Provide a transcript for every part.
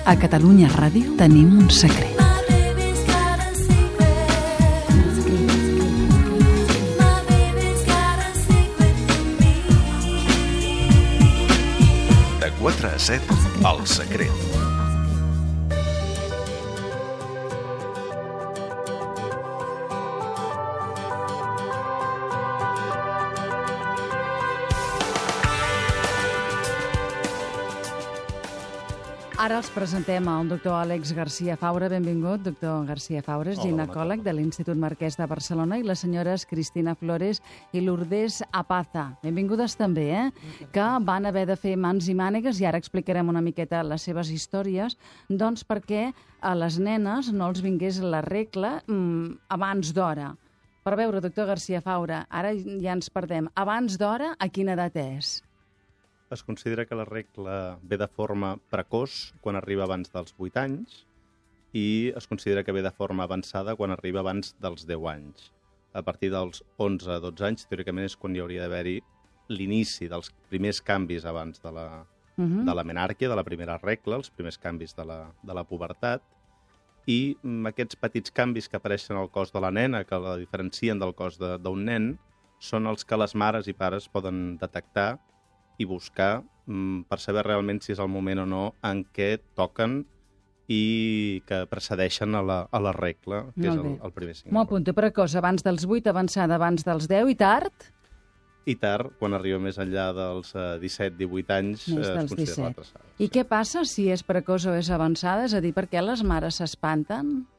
A Catalunya Ràdio tenim un secret. De 4 a 7, El Secret. Ara els presentem al doctor Àlex García Faura. Benvingut, doctor García Faura, és ginecòleg de l'Institut Marquès de Barcelona, i les senyores Cristina Flores i Lourdes Apaza. Benvingudes també, que van haver de fer mans i mànegues, i ara explicarem una miqueta les seves històries, doncs perquè a les nenes no els vingués la regla abans d'hora. Per veure, doctor García Faura, ara ja ens perdem. Abans d'hora, a quina edat és? Es considera que la regla ve de forma precoç quan arriba abans dels 8 anys i es considera que ve de forma avançada quan arriba abans dels 10 anys. A partir dels 11-12 anys, teòricament, és quan hi hauria d'haver-hi l'inici dels primers canvis abans de la menàrquia, de la primera regla, els primers canvis de la pubertat, i aquests petits canvis que apareixen al cos de la nena, que la diferencien del cos d'un nen, són els que les mares i pares poden detectar i buscar per saber realment si és el moment o no en què toquen i que precedeixen a la regla, que és el primer signe. M'ho apunto, precoç, abans dels 8, avançada abans dels 10, i tard? I tard, quan arriba més enllà dels 17-18 anys, es considera l'atrasada. I què passa si és precoç o és avançada? És a dir, per què les mares s'espanten?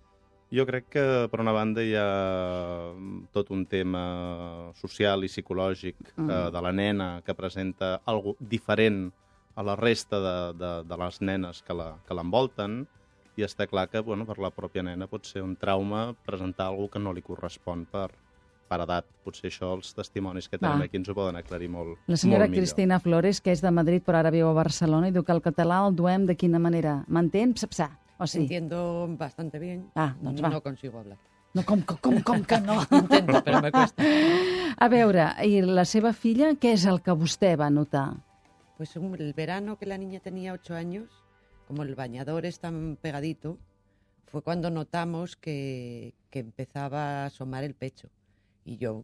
Jo crec que, per una banda, hi ha tot un tema social i psicològic de la nena que presenta alguna cosa diferent a la resta de les nenes que l'envolten, i està clar que per la pròpia nena pot ser un trauma presentar alguna cosa que no li correspon per edat. Potser això els testimonis que tenim aquí ens ho poden aclarir molt millor. La senyora Cristina Flores, que és de Madrid però ara viu a Barcelona, i diu que el català el duem de quina manera? M'entén? Psapsà. ¿O sí? Entiendo bastante bien. Doncs va. No consigo hablar. No, com que no? Intento, pero me cuesta. A veure, i la seva filla, què és el que vostè va notar? Pues el verano que la niña tenía 8 años, como el bañador es tan pegadito, fue cuando notamos que empezaba a asomar el pecho. Y yo,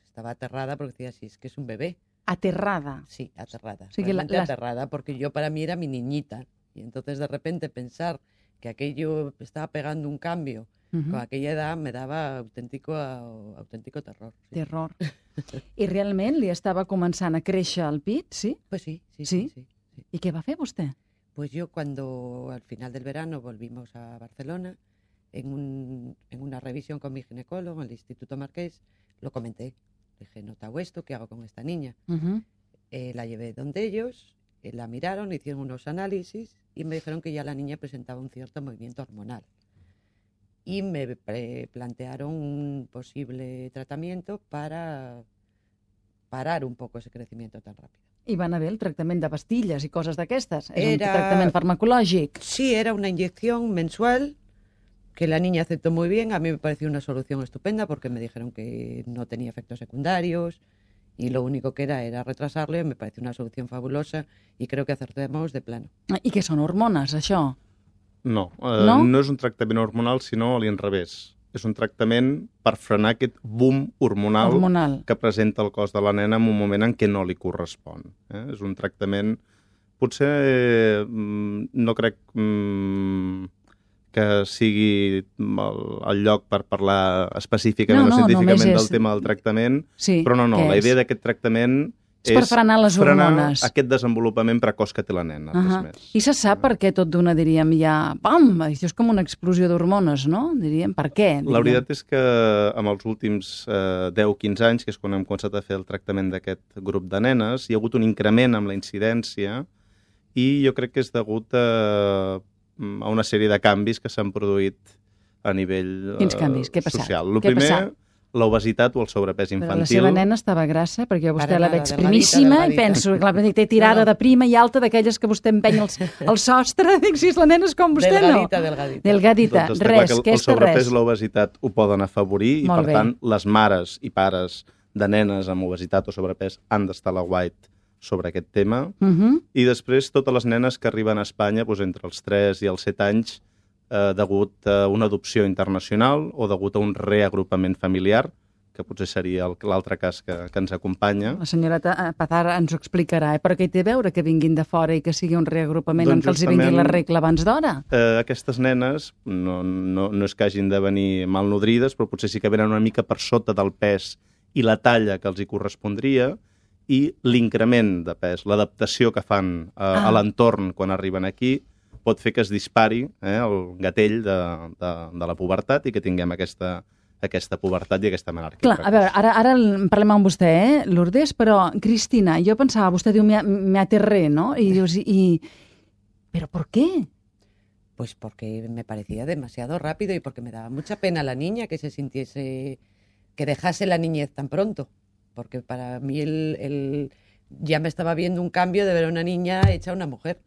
estaba aterrada porque decía, sí, es que es un bebé. ¿Aterrada? Sí, aterrada. O sigui, aterrada, porque yo para mí era mi niñita. Y entonces de repente pensar que aquello estaba pegando un cambio con aquella edad me daba auténtico terror. Sí. Terror. I realment li estava començant a créixer el pit, sí? Pues sí. I què va fer vostè? Pues yo cuando al final del verano volvimos a Barcelona, en una revisión con mi ginecólogo en el Instituto Marqués, lo comenté. Dije, ¿notado esto? ¿Qué hago con esta niña? La llevé donde ellos, la miraron, hicieron unos análisis y me dijeron que ya la niña presentaba un cierto movimiento hormonal. Y me plantearon un posible tratamiento para parar un poco ese crecimiento tan rápido. I van haver el tractament de pastilles i coses d'aquestes? És un tractament farmacològic? Sí, era una inyección mensual que la niña aceptó muy bien. A mí me pareció una solución estupenda porque me dijeron que no tenía efectos secundarios y lo único que era retrasarle. Me pareció una solución fabulosa y creo que acertemos de plano. I què són hormones, això? No, no és un tractament hormonal, sinó a l'inrevés. És un tractament per frenar aquest boom hormonal que presenta el cos de la nena en un moment en què no li correspon. És un tractament... Potser no crec que sigui el lloc per parlar específicament o científicament del tema del tractament, però no, la idea d'aquest tractament és per frenar les hormones. Aquest desenvolupament precoç que té la nena. I se sap per què tot d'una, diríem, ja... Pam! Això és com una explosió d'hormones, no? Diríem, per què? La veritat és que en els últims 10-15 anys, que és quan hem començat a fer el tractament d'aquest grup de nenes, hi ha hagut un increment amb la incidència i jo crec que és degut a una sèrie de canvis que s'han produït a nivell social. Quins canvis? Què ha passat? El primer, l'obesitat o el sobrepès infantil. Però la seva nena estava grassa, perquè vostè la veig primíssima i penso que té tirada de prima i alta d'aquelles que vostè empeny el sostre. Dic, si la nena és com vostè, no? Delgadita. Doncs res, que el sobrepès i l'obesitat ho poden afavorir i, per tant, les mares i pares de nenes amb obesitat o sobrepès han d'estar a l'aguait sobre aquest tema. I després totes les nenes que arriben a Espanya entre els 3 i els 7 anys degut a una adopció internacional o degut a un reagrupament familiar, que potser seria l'altre cas que ens acompanya. La senyora Pazar ens ho explicarà, però què hi té a veure que vinguin de fora i que sigui un reagrupament en què els vingui la regla abans d'hora? Aquestes nenes no és que hagin de venir malnodrides, però potser sí que venen una mica per sota del pes i la talla que els hi correspondria, i l'increment de pes, l'adaptació que fan a l'entorn quan arriben aquí, pot fer que es dispari el gatell de la pubertat i que tinguem aquesta pubertat i aquesta menarquia. Clar, a veure, ara parlem amb vostè, Lourdes, però, Cristina, jo pensava, vostè diu, me aterré, ¿no? Y dius, ¿pero por qué? Pues porque me parecía demasiado rápido y porque me daba mucha pena la niña que se sintiese, que dejase la niñez tan pronto. Porque para mí ya me estaba viendo un cambio de ver a una niña hecha una mujer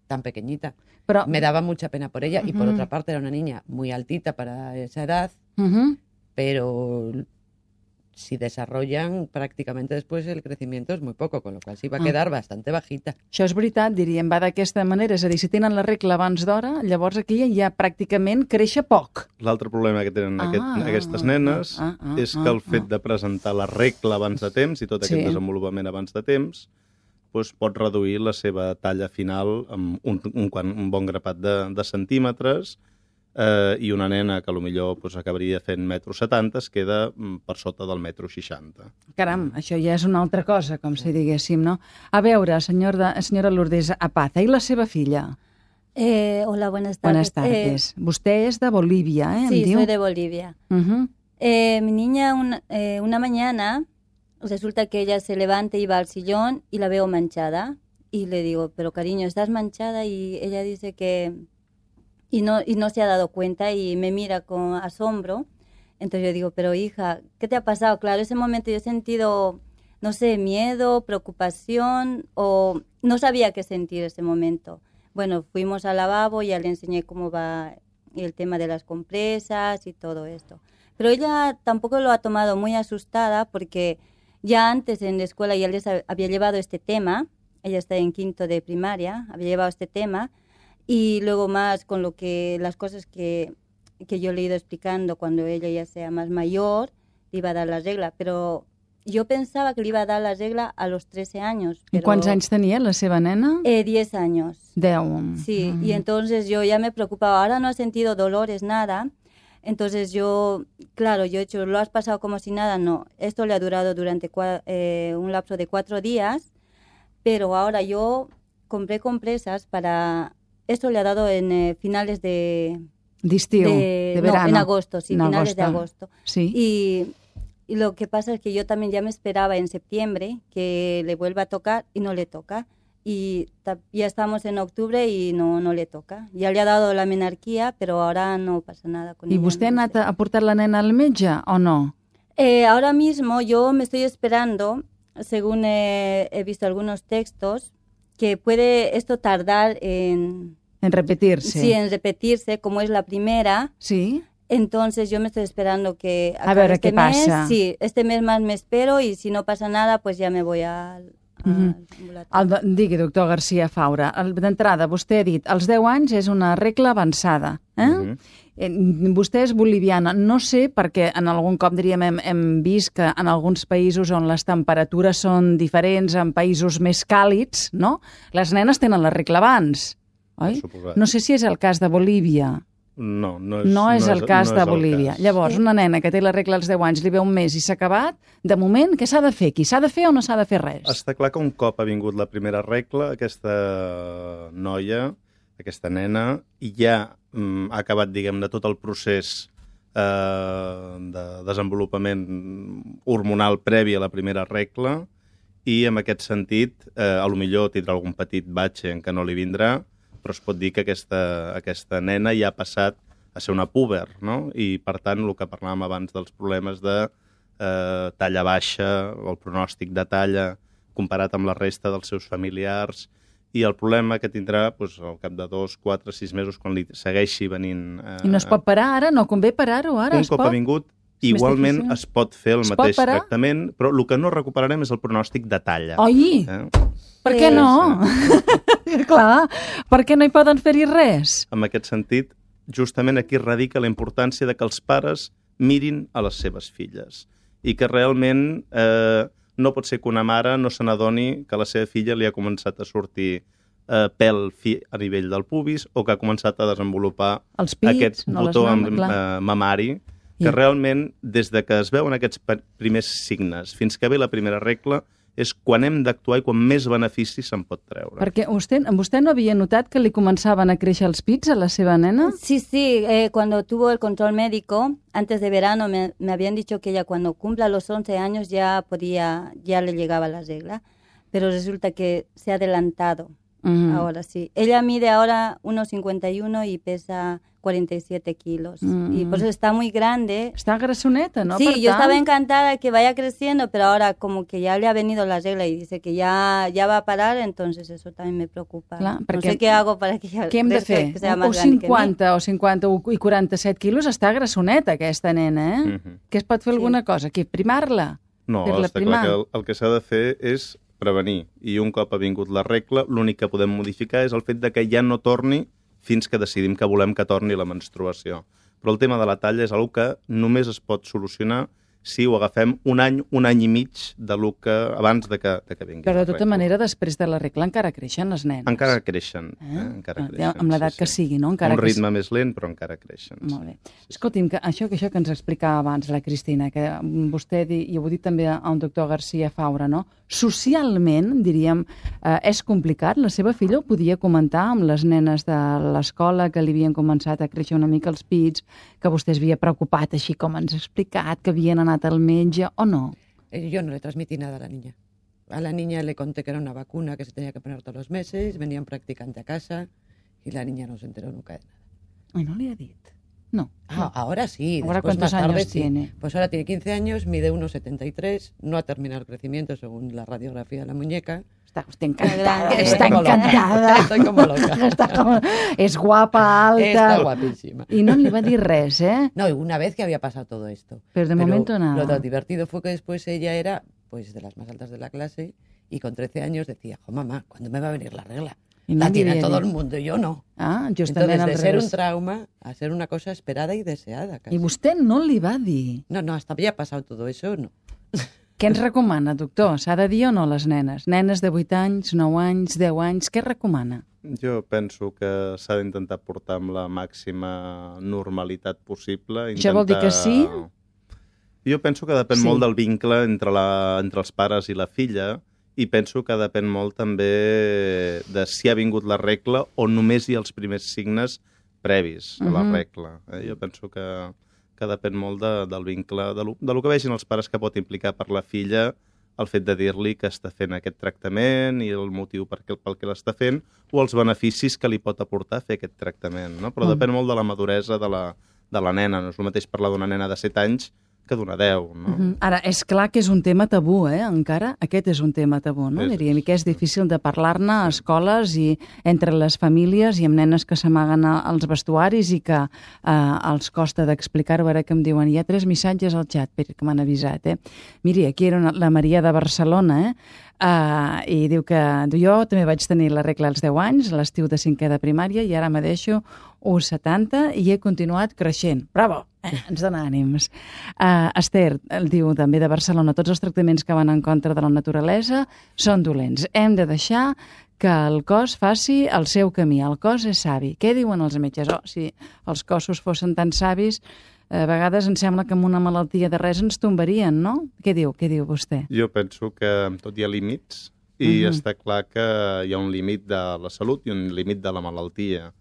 tan pequeñita. Pero me daba mucha pena por ella y por otra parte era una niña muy altita para esa edad, pero si desarrollan prácticamente después el crecimiento es muy poco, con lo cual sí va a quedar bastante bajita. Això és veritat, diríem, va d'aquesta manera, és a dir, si tenen la regla abans d'hora, llavors aquí ja pràcticament créixer poc. L'altre problema que tenen aquestes nenes és que el fet de presentar la regla abans de temps i tot aquest desenvolupament abans de temps pot reduir la seva talla final amb un bon grapat de centímetres, i una nena que potser acabaria fent 1,70 m es queda per sota del 1,60 m. Caram, això ja és una altra cosa, com si diguéssim, no? A veure, senyora Lourdes Apaza, i la seva filla? Hola, buenas tardes. Buenas tardes. Vostè és de Bolívia, ¿eh? Sí, soy de Bolivia. Mi niña una mañana resulta que ella se levanta y va al sillón y la veo manchada. Y le digo, pero cariño, ¿estás manchada? Y ella dice que... Y no se ha dado cuenta y me mira con asombro. Entonces yo digo, pero hija, ¿qué te ha pasado? Claro, ese momento yo he sentido, no sé, miedo, preocupación, o no sabía qué sentir ese momento. Bueno, fuimos al lavabo y ya le enseñé cómo va el tema de las compresas y todo esto. Pero ella tampoco lo ha tomado muy asustada porque ya antes en la escuela ya les había llevado este tema. Ella está en 5º de primaria, había llevado este tema. Y luego más con las cosas que yo le he ido explicando cuando ella ya sea más mayor, le iba a dar la regla. Pero yo pensaba que le iba a dar la regla a los 13 años. Pero... ¿Cuántos años tenía la seva nena? 10 años. 10. Sí, y entonces yo ya me preocupaba. Ahora no ha sentido dolores, nada. Entonces yo he dicho, ¿lo has pasado como si nada? No, esto le ha durado durante un lapso de 4 días. Pero ahora yo compré compresas para... Esto le ha dado en finales de verano. No, en agosto, sí, finales de agosto. Sí. Y lo que pasa es que yo también ya me esperaba en septiembre que le vuelva a tocar y no le toca. Y ya estamos en octubre y no le toca. Ya le ha dado la menarquía, pero ahora no pasa nada con ella. ¿Y usted ha portat la nena al metge o no? Ahora mismo yo me estoy esperando, según he visto algunos textos, que puede esto tardar en repetirse. Sí, en repetirse, como es la primera. Sí. Entonces yo me estoy esperando que a ver qué pasa. Sí, este mes más me espero y si no pasa nada, pues ya me voy al ambulatori. Digui, doctor García Faura, d'entrada, vostè ha dit, als 10 anys és una regla avançada. Vostè és boliviana. No sé, perquè en algun cop, diríem, hem vist que en alguns països on les temperatures són diferents, en països més càlids, no? Les nenes tenen la regla abans, oi? No sé si és el cas de Bolívia. No és el cas de Bolívia. Llavors, una nena que té la regla als 10 anys, li ve un mes i s'ha acabat, de moment, què s'ha de fer? Qui s'ha de fer o no s'ha de fer res? Està clar que un cop ha vingut la primera regla, aquesta noia, aquesta nena, ja ha acabat, diguem-ne, tot el procés de desenvolupament hormonal previ a la primera regla i, en aquest sentit, potser tindrà algun petit batxe en què no li vindrà, però es pot dir que aquesta nena ja ha passat a ser una púber, no? I, per tant, el que parlàvem abans dels problemes de talla baixa, o el pronòstic de talla comparat amb la resta dels seus familiars, i el problema que tindrà al cap de 2, 4, 6 mesos, quan li segueixi venint... I no es pot parar ara? No convé parar-ho ara? Un cop ha vingut, Igualment difícil. es pot fer el Es pot mateix parar? tractament, però el que no recuperarem és el pronòstic de talla. Oi, per què no? Clar, per què no hi poden fer-hi res? En aquest sentit, justament aquí radica la importància de que els pares mirin a les seves filles i que realment no pot ser que una mare no se n'adoni que la seva filla li ha començat a sortir pèl fi a nivell del pubis o que ha començat a desenvolupar Els pits, aquest no les botó mames, clar. mamari, que realment, des de que es veuen aquests primers signes fins que ve la primera regla, és quan hem d'actuar i quan més benefici se'n pot treure. Perquè vostè no havia notat que li començaven a créixer els pits a la seva nena? Sí, cuando tuvo el control médico, antes de verano, me habían dicho que ella cuando cumpla los 11 años ya le llegaba la regla, pero resulta que se ha adelantado. Ahora sí. Ella mide ahora 1,51 y pesa 47 kilos. Y por eso está muy grande. Està grassoneta, no? Sí, Per yo tant, estaba encantada que vaya creciendo, pero ahora como que ya le ha venido la regla y dice que ya va a parar, entonces eso también me preocupa. Clar, No perquè sé qué hago para que ya què hem de crezca, fer? que sea O más grande que mí. 50 o 50 i 47 quilos està grassoneta, aquesta nena, eh? Que es pot fer alguna cosa? Aquí, primar-la? No, Fer-la està clar primar? que el que s'ha de fer és prevenir. I un cop ha vingut la regla, l'únic que podem modificar és el fet de que ja no torni fins que decidim que volem que torni la menstruació. Però el tema de la talla és una que només es pot solucionar si ho agafem un any i mig de lo que abans de que vingui Però la de tota regla. manera, després de la regla encara creixen les nenes. Encara creixen. Encara creixen, Amb l'edat que sigui, no? Encara un que ritme més lent, però encara creixen. Molt bé. Escolti'm, que això que ens explicava abans la Cristina, que vostè, i ho ha dit també a un doctor García Faura, no? Socialment, diríem, és complicat. La seva filla ho podia comentar amb les nenes de l'escola, que li havien començat a créixer una mica els pits, que vostè es havia preocupat, així com ens ha explicat, que havien anat al metge, o no? Yo no le transmití nada a la niña. A la niña le conté que era una vacuna que se tenía que poner todos los meses, venía un practicante a casa y la niña no se enteró nunca de nada. Ai, no li ha dit? No. Ahora sí, ¿Ahora después cuántos más tarde años sí. tiene? Pues ahora tiene 15 años, mide 1,73, no ha terminado el crecimiento según la radiografía de la muñeca. Està vostè encantada. Estoy Està como loca. encantada. Estoy como loca. Està com... És guapa, alta... Está guapísima. I no li va dir res, eh? No, una vez que había pasado todo esto. Pero de momento nada. Lo divertido fue que después ella era pues de las más altas de la clase y con 13 años decía, jo mamá, ¿cuándo me va a venir la regla? I no La li tiene havia todo dit. el mundo, yo no. Ah, justament Entonces, al de ser revés. un trauma a ser una cosa esperada y deseada. Casi. I vostè no li va dir. No, hasta había pasado todo eso, no. Què ens recomana, doctor? S'ha de dir o no les nenes? Nenes de 8 anys, 9 anys, 10 anys, què recomana? Jo penso que s'ha d'intentar portar amb la màxima normalitat possible. Això vol dir que sí? Jo penso que depèn Sí. molt del vincle entre els pares i la filla i penso que depèn molt també de si ha vingut la regla o només hi ha els primers signes previs a la regla. Jo penso que depèn molt del vincle, de lo que vegin els pares que pot implicar per la filla el fet de dir-li que està fent aquest tractament i el motiu pel que l'està fent o els beneficis que li pot aportar fer aquest tractament. No? Però depèn molt de la maduresa de la nena. No és el mateix parlar d'una nena de 7 anys que d'una 10. No? Ara, és clar que és un tema tabú, encara. Aquest és un tema tabú, no? És, Diríem, i que és difícil de parlar-ne a escoles i entre les famílies i amb nenes que s'amaguen als vestuaris i que els costa d'explicar-ho. Ara que em diuen, hi ha 3 missatges al xat que m'han avisat, Miri, aquí era la Maria de Barcelona, i diu que jo també vaig tenir la regla als 10 anys, a l'estiu de 5è de primària, i ara me deixo 1,70 i he continuat creixent. Bravo! Ens dona ànims. Esther el diu també de Barcelona, tots els tractaments que van en contra de la naturalesa són dolents. Hem de deixar que el cos faci el seu camí. El cos és savi. Què diuen els metges? Si els cossos fossin tan savis, a vegades em sembla que amb una malaltia de res ens tombarien, no? Què diu vostè? Jo penso que amb tot hi ha límits i està clar que hi ha un límit de la salut i un límit de la malaltia.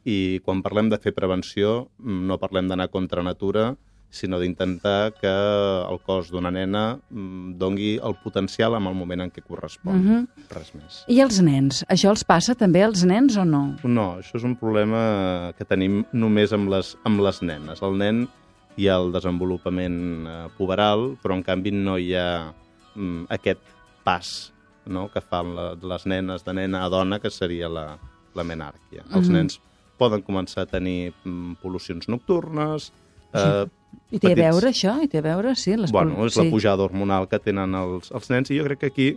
I quan parlem de fer prevenció no parlem d'anar contra natura, sinó d'intentar que el cos d'una nena dongui el potencial en el moment en què correspon. Res més. I els nens? Això els passa també als nens o no? No, això és un problema que tenim només amb les nenes. El nen hi ha el desenvolupament puberal, però en canvi no hi ha aquest pas, no?, que fan les nenes de nena a dona, que seria la menàrquia. Els nens poden començar a tenir pol·lucions nocturnes, I té a petits. veure això? I té a veure, sí. Bueno, és la pujada hormonal que tenen els nens, i jo crec que aquí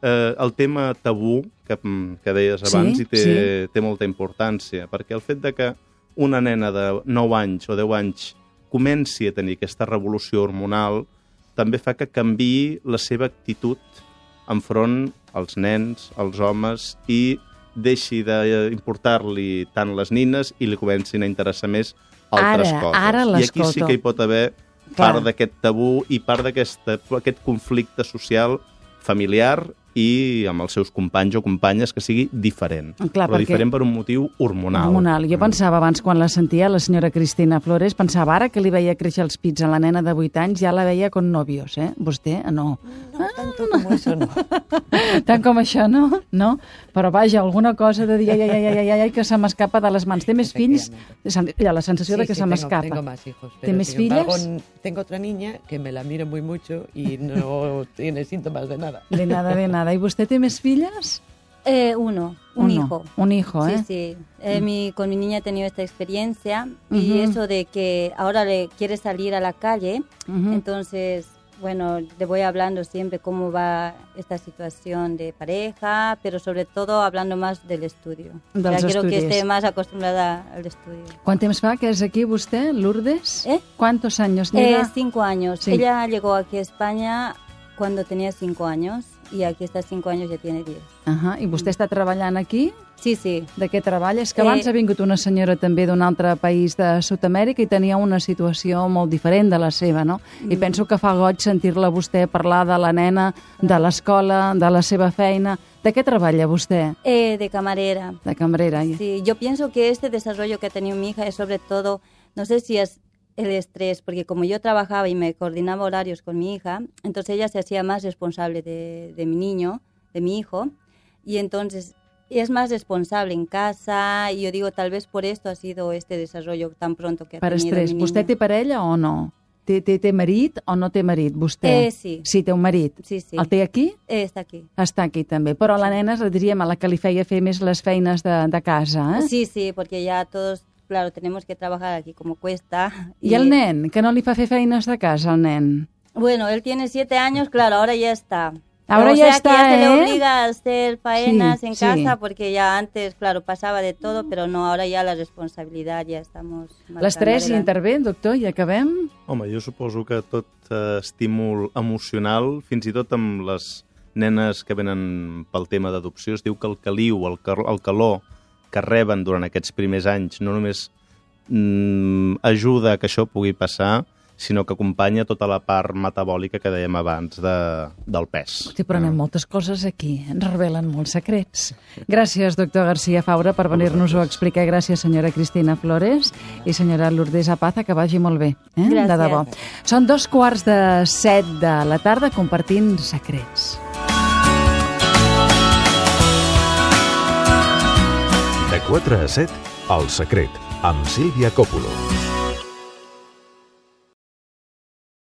el tema tabú que deies abans té molta importància, perquè el fet de que una nena de 9 anys o 10 anys comenci a tenir aquesta revolució hormonal també fa que canviï la seva actitud enfront als nens, als homes, i deixi d'importar-li tant les nines i li comencin a interessar més altres coses. I aquí sí que hi pot haver part d'aquest tabú i part d'aquest conflicte social familiar i amb els seus companys o companyes, que sigui diferent. Però diferent per un motiu hormonal. Jo pensava abans, quan la sentia, la senyora Cristina Flores, pensava ara que li veia créixer els pits a la nena de 8 anys, ja la veia con novios, eh? Vostè, no. No, tanto como eso, no. Tant com això, no? No? Però vaja, alguna cosa de dir, ai, que se m'escapa de les mans. Té més fills? Hi ha la sensació de que se m'escapa. Tengo más hijos. ¿Té més filles? Tengo otra niña que me la miro muy mucho y no tiene síntomas de nada. De nada. ¿Y usted tiene más fillas? Un hijo. Un hijo, ¿eh? Sí. Con mi niña he tenido esta experiencia y eso de que ahora le quiere salir a la calle, entonces, bueno, le voy hablando siempre cómo va esta situación de pareja, pero sobre todo hablando más del estudio. Quiero que esté más acostumbrada al estudio. ¿Cuánto tiempo va que es aquí usted, Lourdes? ¿Cuántos años lleva? 5 años. Sí. Ella llegó aquí a España cuando tenía 5 años i aquí està 5 anys ja tiene 10. I vostè està treballant aquí? Sí. De què treballa? És que abans ha vingut una senyora també d'un altre país de Sud-amèrica i tenia una situació molt diferent de la seva, no? I penso que fa goig sentir-la vostè parlar de la nena, de l'escola, de la seva feina. ¿De qué treballa vostè? De camarera. De camarera. Sí, yo pienso que este desarrollo que ha tenido mi hija es sobre todo, no sé si es el estrés, porque como yo trabajaba y me coordinaba horarios con mi hija, entonces ella se hacía más responsable de mi niño, de mi hijo, y entonces es más responsable en casa, y yo digo, tal vez por esto ha sido este desarrollo tan pronto que ha tenido estrès. mi niño. ¿Vostè té parella o no? Té marit o no té marit, vostè? Sí. Sí, té un marit. Sí. El té aquí? Està aquí. Està aquí també. Però la nena, diríem, a la que li feia fer més les feines de casa, eh? Sí, porque ya todos... Claro, tenemos que trabajar aquí como cuesta. ¿Y el nen? ¿Que no li fa fer feines de casa, el nen? Bueno, él tiene 7 años, claro, ahora ya está. Ahora ya está, que ya se le ¿eh? obliga a hacer faenas en casa, porque ya antes, claro, pasaba de todo, pero no, ahora ya la responsabilidad ja estamos... L'estrès hi intervé, doctor, i acabem? Home, jo suposo que tot estímul emocional, fins i tot amb les nenes que venen pel tema d'adopció, es diu que el caliu, el calor que reben durant aquests primers anys no només ajuda a que això pugui passar, sinó que acompanya tota la part metabòlica que dèiem abans del pes. Sí, però anem moltes coses aquí, ens revelen molts secrets. Gràcies, doctor García Faura, per venir-nos-ho a explicar. Gràcies, senyora Cristina Flores i senyora Lourdes Apaza, que vagi molt bé. Gràcies. De debò. Són 7:15 de la tarda compartint secrets. De 4 a 7, El secret, amb Sílvia Coppola.